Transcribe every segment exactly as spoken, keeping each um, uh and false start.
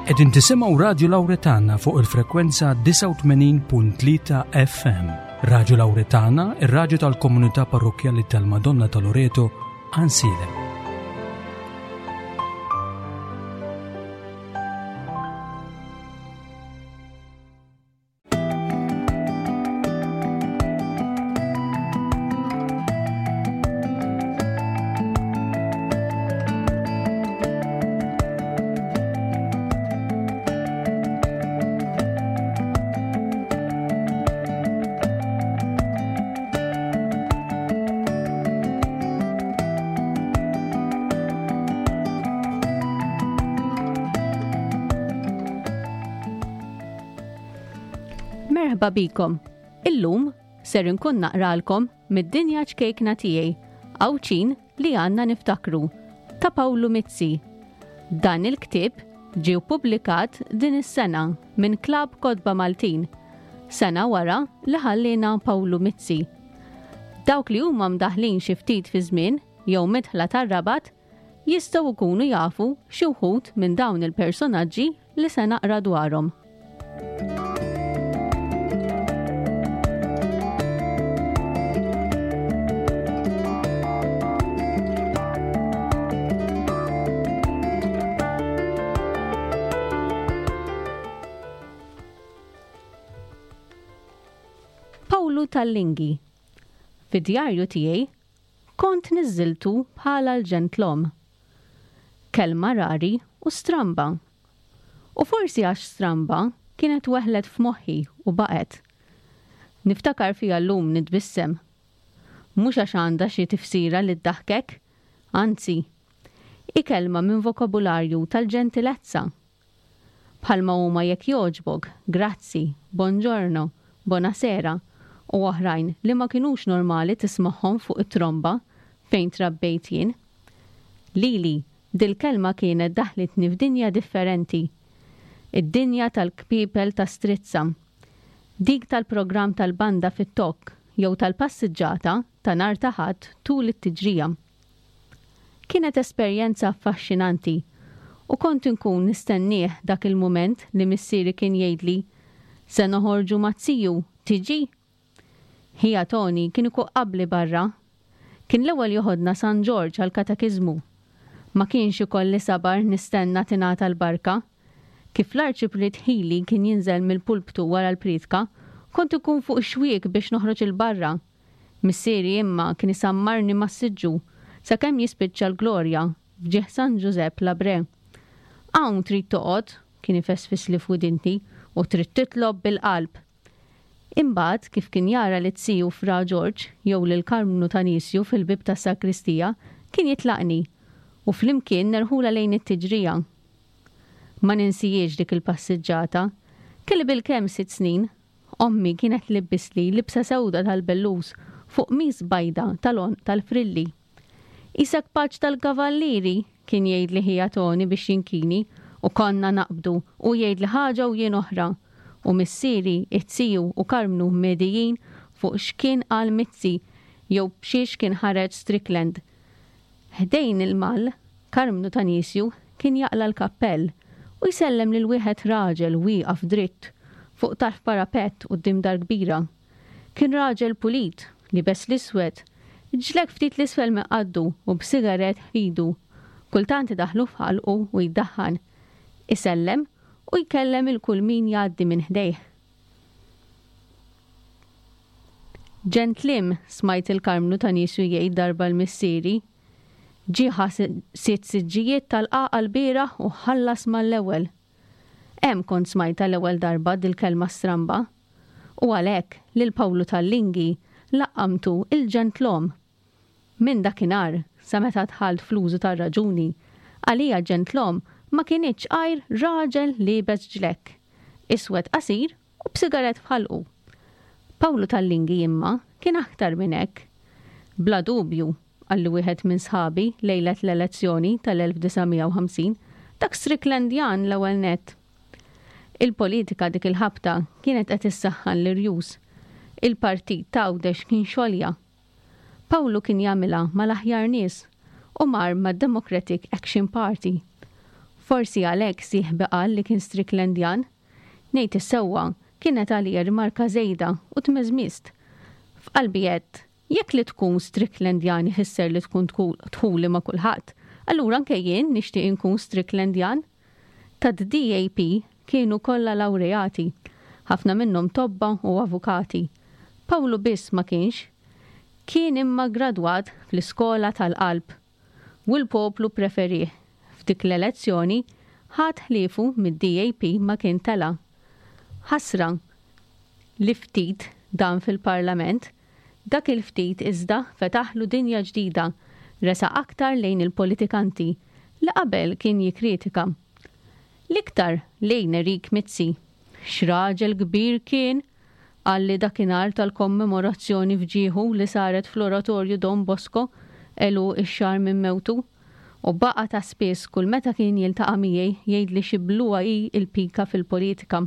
Qegħdin tisimgħu Radju Lawretana fuq il-frekwenza disgħa u tmenin punt tlieta F M. Radju Lawretana, ir-radju tal-komunità parrokkjali tal-Madonna ta' Loreto, Għajnsielem. Merħba bikom. Illum ser inkun naqralkom mid-dinja ċkejkna tiegħi, Għawdxin li għandna niftakru, ta' Pawlu Mizzi. Dan il-ktieb ġie ppubblikat din is-sena minn Klabb Kotba Maltin, sena wara li ħallina Pawlu Mizzi. Dawk li huma mdaħlin xi ftit fi żmien jew midħla tar-Rabat jistgħu jkunu jafu xi wħud minn dawn il-personaġġi li se naqra dwarhom. Pawlu Tallingi. Fid-djarju tiegħi kont niżżiltu bħala l-ġentlom. Kelma rari u stramba. U forsi għax stramba kienet weħlet f'moħħi u baqgħet. Niftakar fija llum nitbissem. Mhux għax għandha xi tifsira li ddaħkek, anzi, hi kelma minn vokabularju tal-ġentilezza. Bħalma huma jekk jogħġbok, grazzi, buongiorno, buonasera u oħrajn li ma kinux normali tismagħhom fuq it-tromba fejn trabbejt jien. Lili, dil-kelma kienet daħlitni f'dinja differenti. Id-dinja tal-kpipel ta' strizza. Dik tal-programm tal-banda fit-tokk jew tal-passiġġata ta' nhar ta' Ħadd tul it-tiġrija. Kienet esperjenza affaxxinanti u kont inkun nistennieh dak il-mument li missieri kien jgħidli se noħorġu ma' ziju, tiġi? Ħija Toni kien ikun qabli barra. Kien l-ewwel joħodna San Ġorġ għall-katekiżmu. Ma kienx ikolli sabar nistenna tingħata l-barka. Kif l-arċipriet Ħili kien jinżel mill-pulptu wara l-priedka, kont ikun fuq ix-xwiek biex noħroġ il-barra. Missieri imma kien isammarni mas-siġġu sakemm jispiċċa l-glorja f'ġieħ San Ġużepp Labre. Hawn trid toqgħod, kien ifesfisli f'widinti, u trid titlob bil-qalb. Imbagħad kif kien jara li tsiju Fra Ġorġ jew lil Karmnu Tanisju fil-bib tas-sakristija, kien jitlaqni u flimkien nerħula lejn it-tiġrija. Ma ninsijiex dik il-passiġġata. Kelli bil-kemm sitt snin, ommi kienet libbisli libsa sewda tal-bellus fuq mis bajda tal-għonq tal-frilli. Isak paċ tal-kavallieri, kien jgħidli ħija Toni biex jinkini, u konna naqbdu u jgħidli ħaġa u jien oħra. U missieri, it-siju u Karmnu medijin fuq x'kien qal Mizzi jew b'xiex kien ħareġ Strickland. Ħdejn il-mal, Karmnu Tanisju kien jaqla l-kappell u jsellem lil wieħed raġel wieqaf dritt fuq tarf parapett quddiem dar kbira. Kien raġel pulit, libes l-iswed, ġlek ftit l-isfel minn qaddu u b'sigaret f'idu. Kultant idaħħlu f'ħalqu u jiddaħħan. Isellem u jkellem il kull min jgħaddi minn ħdejh. Ġentlim, smajt il-Karmnu Tanisju jgħid darba l-missieri. Ġieħa sitt siġġijiet tal-qaqa l-bieraħ u ħallas mal-ewwel. Hemm kont smajta l-ewwel darba dil-kelma stramba. U għalhekk lil Pawlu Tallingi laqqamtu il-ġentlom. Minn dakinhar sa meta dħalt fl-użu tar-raġuni, għalija ġentlom ma kienitx għajr raġel liebes ġlekk, iswed qasir u b'sigaret f'ħalqu. Pawlu Tallingi imma kien aktar minn hekk. Bla dubju, qalli wieħed minn sħabi lejlet l-elezzjoni tal-elf disa' mija u ħamsin, dak Stricklandjan l-ewwel nett. Il-politika dik il-ħabta kienet qed issaħħan l-irjus. Il-partit ta' Għawdex kien xolja. Pawlu kien jagħmilha mal-aħjar nies u mar mad-Democratic Action Party. Forsi għalhekk sieħbi qal li kien Stricklandjan. Ngħid is-sewwa, kienet għalija rimarka żejda u tmeżmiżt. F'qalbi għedt, jekk li tkun Stricklandjan ifisser li tkun dħuli ma' kulħadd, allura anke jien nixtieq inkun Stricklandjan. Tad-D A P kienu kollha lawreati, ħafna minnhom tobba u avukati. Pawlu biss ma kienx. Kien imma gradwat fl-iskola tal-qalb. U l-poplu preferih. F'dik l-elezzjoni ħadd ħliefu mid-D A P ma kien tela. Ħasra li ftit dan fil-parlament, dak il-ftit iżda fetaħlu dinja ġdida, resaq aktar lejn il-politikanti li qabel kien jikritika. L-iktar lejn Erik Mizzi. X'raġel kbir kien, qalli dakinhar tal-kommemorazzjoni f'ġieħu li saret fl-Oratorju Don Bosco għeluq ix-xahar minn mewtu. U baqa ta' spiss kull meta kien jiltaqa' miegħi jgħid li xi bluha hi il-pika fil-politika.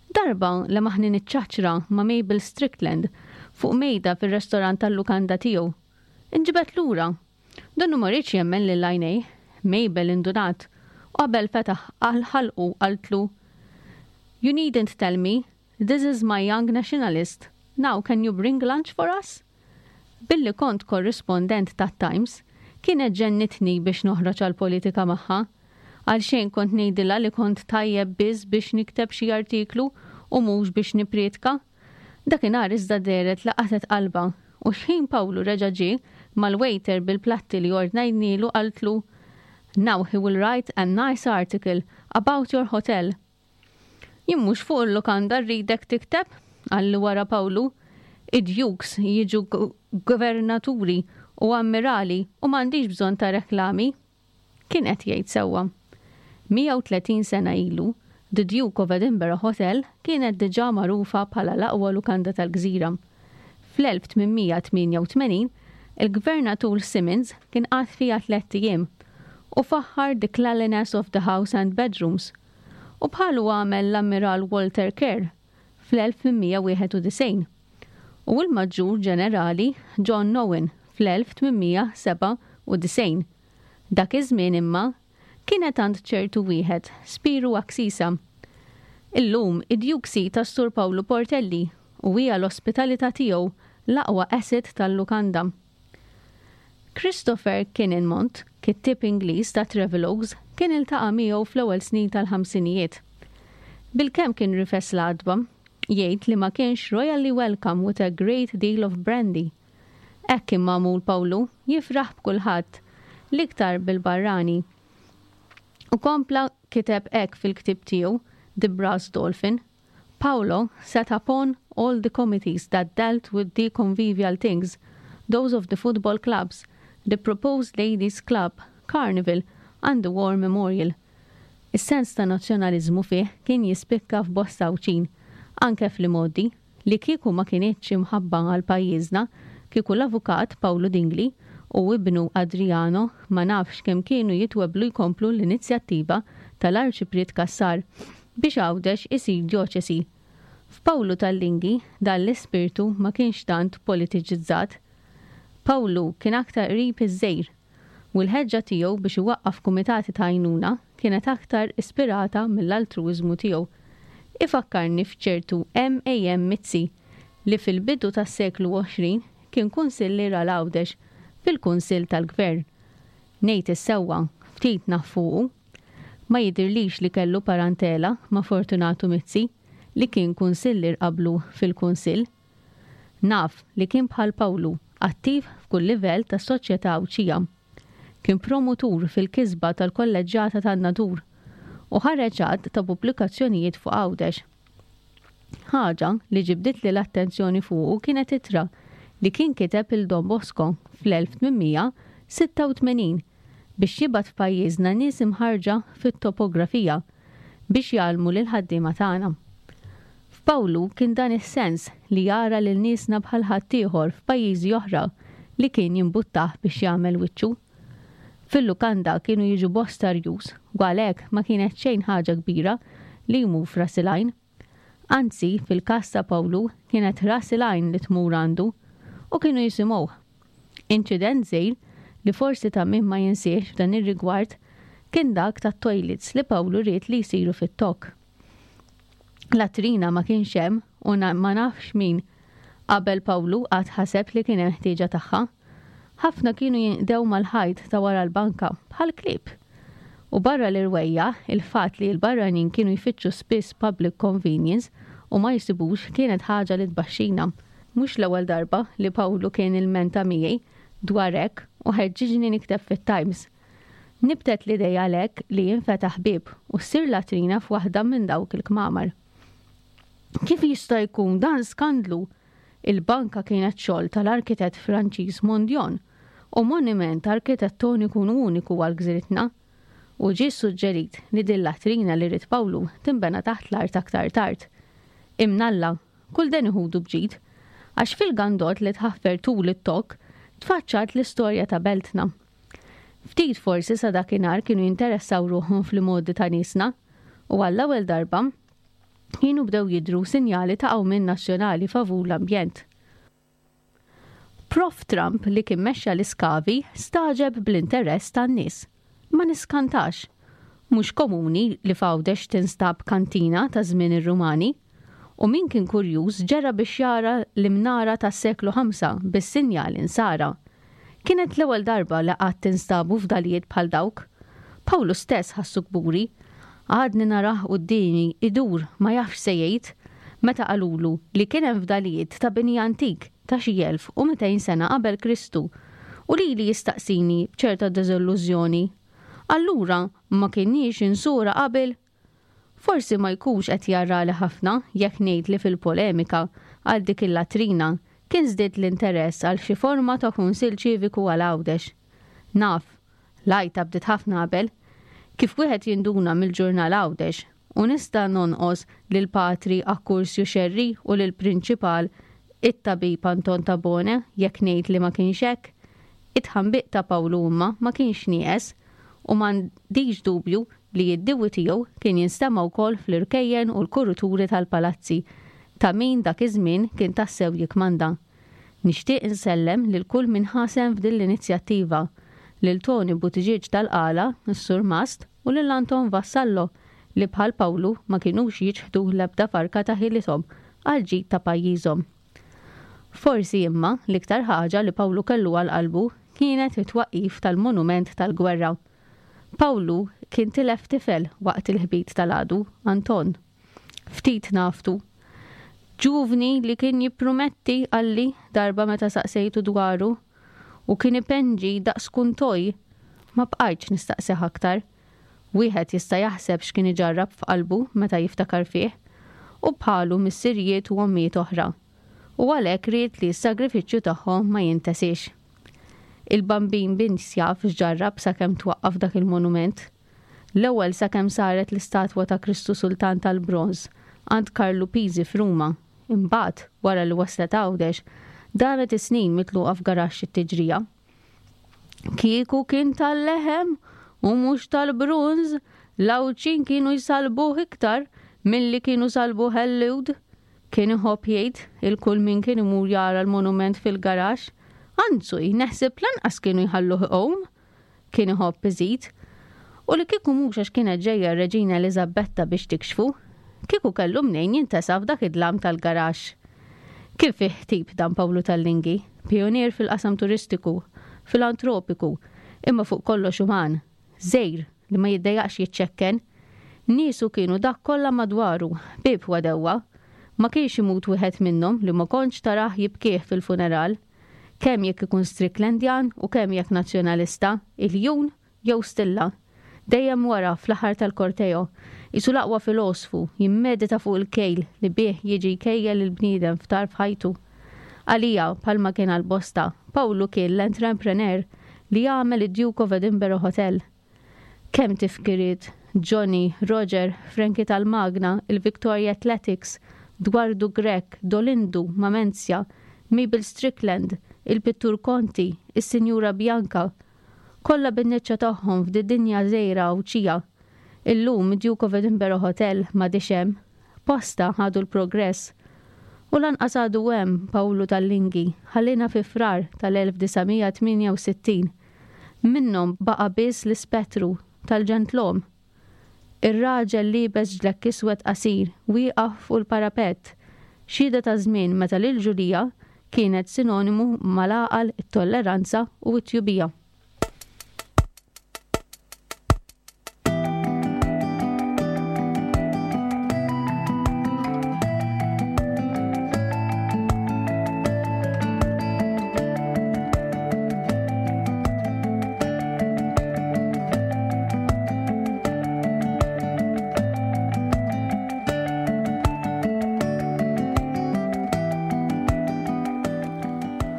Darba lemaħni niċċaċra ma' Mabel Strickland fuq mejda fil-restorant tal-lukanda tiegħu. Inġibedt lura. Donnu ma riedx jemmen lil għajnejh. Mabel indunat u qabel fetaħ għal ħalqu qaltlu: "You needn't tell me, this is my young nationalist. Now can you bring lunch for us?" Billi kont korrispondent ta' Times, kienet ġennitni biex noħroġ għal politika magħha. Għal xejn kont ngħidilha li kont tajjeb biss biex nikteb xi artiklu u mhux biex niprietka. Dakinhar iżda dehret laqatet qalba u xħin Pawlu reġa' ġie mal-waiter bil-platti li ordnajnielu qaltlu: "Now he will write a nice article about your hotel." "Jien mhux fuq il-lukanda rridek tikteb," qalli wara Pawlu. "Id-dukes jiġu gvernaturi u ammirali u m'għandix bżonn ta' reklami." Kien qed jgħid sewwa. mija u tletin sena ilu, The Duke of Edinburgh Hotel kienet diġà magħrufa bħala l-aqwa lukanda tal-gżira. Fl-elf tmien mija tmienja u tmenin, il-gvernatur Simmons kien qagħad fiha tlett ijiem u faħħar the cleanliness of the house and bedrooms. U bħalu għamel l-Ammiral Walter Kerr fl-elf tmien mija wieħed u disgħin u l-Maġġur Ġenerali John Owen fl-elf tmien mija sebgħa u disgħin. Dak iż-żmien imma kienet għand ċertu wieħed, Spiru Axisa. Illum id-Duke ta' Sur Pawlu Portelli u hija l-ospitalità tiegħu l-aqwa asset tal-lukanda. Christopher Kininmont, kittib Ingliż ta' travelogues, kien iltaqa' miegħu fl-ewwel snin tal-ħamsinijiet. Bilkemm kien rifes l-għatba, jgħid li ma kienx royally welcome with a great deal of brandy. Hekk kien magħmul Pawlu, jifraħ b'kulħadd, l-iktar bil-barrani. U kompla kiteb hekk fil-ktib tiegħu, The Brass Dolphin: "Paolo sat upon all the committees that dealt with the convivial things, those of the football clubs, the proposed ladies club, carnival, and the war memorial." Is-sens ta' nazzjonaliżmu fih kien jispikka f'bosta Għawdxin, anke fl-modi li kieku ma kinitx imħabba għal pajjiżna, kieku l-avukat Paolo Dingli u ibnu Adriano ma nafx kemm kienu jitweblu jkomplu l-inizjattiva tal-Arċipriet Cassar biex Għawdex isir djoċesi. F'Pawlu tal-Linghi dan l-ispirtu ma kienx tant politiċizzat. Pawlu kien aktar qrib iż-żgħir u l-ħeġġa tiegħu biex iwaqqaf kumitati ta' għajnuna kienet aktar ispirata mill-altruiżmu tiegħu. Ifakkarni f'ċertu M A M. Mizzi li fil-bidu tas-seklu għoxrin kien kunsillier għal Għawdex fil-Kunsill tal-Gvern. Ngħid is-sewwa, ftit naf fuqu. Ma jidirlix li kellu parentela ma' Fortunato Mizzi li kien kunsillier qablu fil-Kunsill. Naf li kien bħal Pawlu, attiv f'kull livell ta' soċjetà Għawdxija. Kien promotur fil-kisba tal-kolleġġjata tan-Nadur u ħareġ għadd ta' pubblikazzjonijiet fuq Għawdex. Ħaġa li ġibditli l-attenzjoni fuqu kienet ittra li kien kiteb lil Don Bosco fl-elf tmien mija sitta u tmenin biex jibgħat f'pajjiżna nies imħarrġa fit-topografija biex jgħallmu lil ħaddiema tagħna. F'Pawlu kien dan is-sens li jara lil niesna bħal ħaddieħor f'pajjiżi oħra li kien jimbuttah biex jagħmel wiċċu. Fil-lukanda kienu jiġu bosta rjus u għalhekk ma kienet xejn ħaġa kbira li jmur f'Ras il-Għajn. Anzi, fil-każ ta' Pawlu kienet Ras il-Għajn li tmur għandu u kienu jisimgħuh. Inċident żgħir li forsi ta' min ma jinsiex f'dan ir-rigward kien dak tat-toilets li Pawlu ried li jsiru fit-Tokk. Latrina ma kienx hemm u ma nafx min qabel Pawlu qatt ħaseb li kien hemm ħtieġa tagħha. Ħafna kienu jinqdew mal-ħajt ta' wara l-banka bħal klieb. U barra l-irwejjaħ, il-fatt li l-barranin kienu jfittxu spiss public convenience u ma jsibux kienet ħaġa li tbaxxina. Mhux l-ewwel darba li Pawlu kien ilmenta miegħi dwar hekk u ħeġġiġni nikteb fit-Times. Nibtet l-idea għalhekk li jinfetaħ bieb u ssir latrina f'waħda minn dawk il-kmamar. Kif jista' jkun dan skandlu? Il-banka kienet xogħol tal-arkitett Franċiż Mondion u monument arkitettoniku uniku għal gżiritna. U ġie suġġerit li din latrina li ried Pawlu tinbena taħt l-art aktar tard. Imnalla, kull den iħudu bġid, għax fil-gandot li tħaffer tul it-Tokk tfaċċat l-istorja ta' beltna. Ftit forsi sa dakinhar kienu jinteressaw ruħhom fl-modi ta' niesna u għall-ewwel darba kienu bdew jidru sinjali ta' qawmien nazzjonali favur l-ambjent. Prof Trump li kien mexxa l-iskavi stagħġeb bl-interess tan-nies. Ma niskantax. Mhux komuni li f'Għawdex tinstab kantina ta' żmien ir-Rumani. U min kien kurjuż ġera biex jara l-imnara tas-seklu ħamsa bis-sinjal insara. Kienet l-ewwel darba li qatt tinstabu fdalijiet bħal dawk. Pawlu stess ħassu kburi. Għadni narah quddiemi idur ma jafx se jgħid meta qalulu li kien hemm fdalijiet ta' bini antik ta' xi elf u mitejn sena qabel Kristu u lili jistaqsini b'ċerta diżillużjoni. Allura ma kinniex insura qabel? Forsi ma jkunx qed jarrali ħafna jekk ngħid li fil-polemika għal dik il-latrina kien żdied l-interess għal xi forma ta' kunsill ċiviku għal Għawdex. Naf, l-għajta bdiet ħafna qabel, kif wieħed jinduna mill-ġurnal Għawdex u nista' nonqos lil Patri Akkursju Xerri u lil Prinċipal it-tabib Anton Tabone jekk ngħid li ma kienx hekk. It-tħambiq ta' Pawlu imma ma kienx nieqes u m'għandix dubju li d-diwi tiegħu kien jinstema' wkoll fl-irkejjen u l-kuruturi tal-palazzi ta' min dak iż-żmien kien tassew jikmanda. Nixtieq insellem lil kull min ħasem f'din l-inizjattiva, lil Tony Buttigieg tal-Qala, is-Sur Mast, u lil Anton Vassallo li bħal Pawlu ma kinux jiċħdu l-ebda farka ta' ħilithom għal ġid ta' pajjiżhom. Forsi imma l-iktar ħaġa li Pawlu kellu għal qalbu kienet it-twaqqif tal-monument tal-gwerra. Pawlu kien tilef tifel waqt il-ħbit tal-għadu, Anton. Ftit naftu. Ġuvni li kien jipprumetti għalli darba meta saqsejtu dwaru u kien ipenġi daqs kuntoj, ma bqajtx nistaqsih aktar. Wieħed jista' jaħseb x'kien iġarrab f'qalbu meta jiftakar fih, u bħalu missirijiet u ommijiet oħra. U għalhekk ried li s-sagrifiċċju tagħhom ma jintesiex. Il-bambin biss jaf x'ġarrab sakemm twaqqaf dak il-monument. L-ewwel sakemm saret l-istatwa ta' Kristu Sultan tal-Bronż għand Karlu Pisi f'Ruma. Imbagħad, wara li waslet Għawdex, damet is-snin mitluqa f'garaxx it-tiġrija. Kieku kien tal-leħem u mhux tal-bronż, l-Għawdxin kienu jsalbuh iktar milli kienu salbuh il-Lhud. Kien iħobb jgħid il-kull min kien imur jara l-monument fil-garaxx, anzu neħseb lanqas kienu jħalluh iqum. Kien iħobb iżid. U li kieku mhux għax kienet ġejja r-Reġina Eliżabetta biex tikxfu, kieku kellu mnejn jintesa f'dak id-dlam tal-garaxx. Kif fih tip dan Pawlu Tallingi, pionier fil-qasam turistiku, filantropiku, imma fuq kollox uman, żejr li ma jiddejjaqx jiċċekken. Niesu kienu dak kollha madwaru, bieb wadewwa. Ma kienx imut wieħed minnhom li ma kontx tarah jibkih fil-funeral. Kemm jekk ikun Stricklandjan u kemm jekk nazzjonalista, iljun jew stilla. Dejjem wara fl-aħħar tal-korteo, isu l-aqwa filosfu jimmedita fuq il-kejl li bih jiġi jkejjel il-bniedem f'tarf ħajtu. Għalija, bħalma kien għal-bosta, Pawlu kien l-entrepreneur li jagħmel id-Duke of Edinburgh Hotel. Kemm tifkiriet, Johnny, Roger, Frankie tal-Magna, il-Victoria Athletics, Dwardu Grech, Dolindu, Mamenzja, Mabel Strickland, il-Pittur Conti, is-Sinjura Bianca, kollha bin-niċċa tagħhom f'did-dinja żgħira Għawdxija. Illum Duke of Edinburgh Hotel m'għadix hemm, posta ħadu l-progress. U lanqas għadu hemm Pawlu Tallingi, ħallina fi Frar tal-elf disa' mija tmienja u sittin. Minnhom baqa' biss l-ispettru tal-ġentlom. Ir-raġel liebes ġlekk iswed qasir, wieqaf fuq il-parapett, xhieda ta' żmien meta l-irġulija kienet sinonimu mal-għaqal, it-tolleranza u t-tjubija.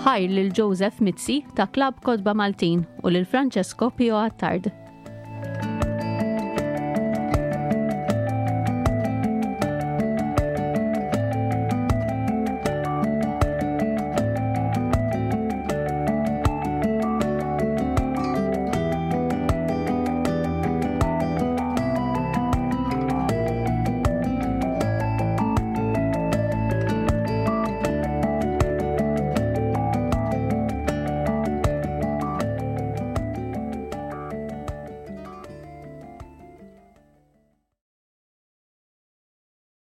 Ħajr lil Joseph Mizzi ta' Klabb Kotba Maltin u lil Francesco Pio Attard.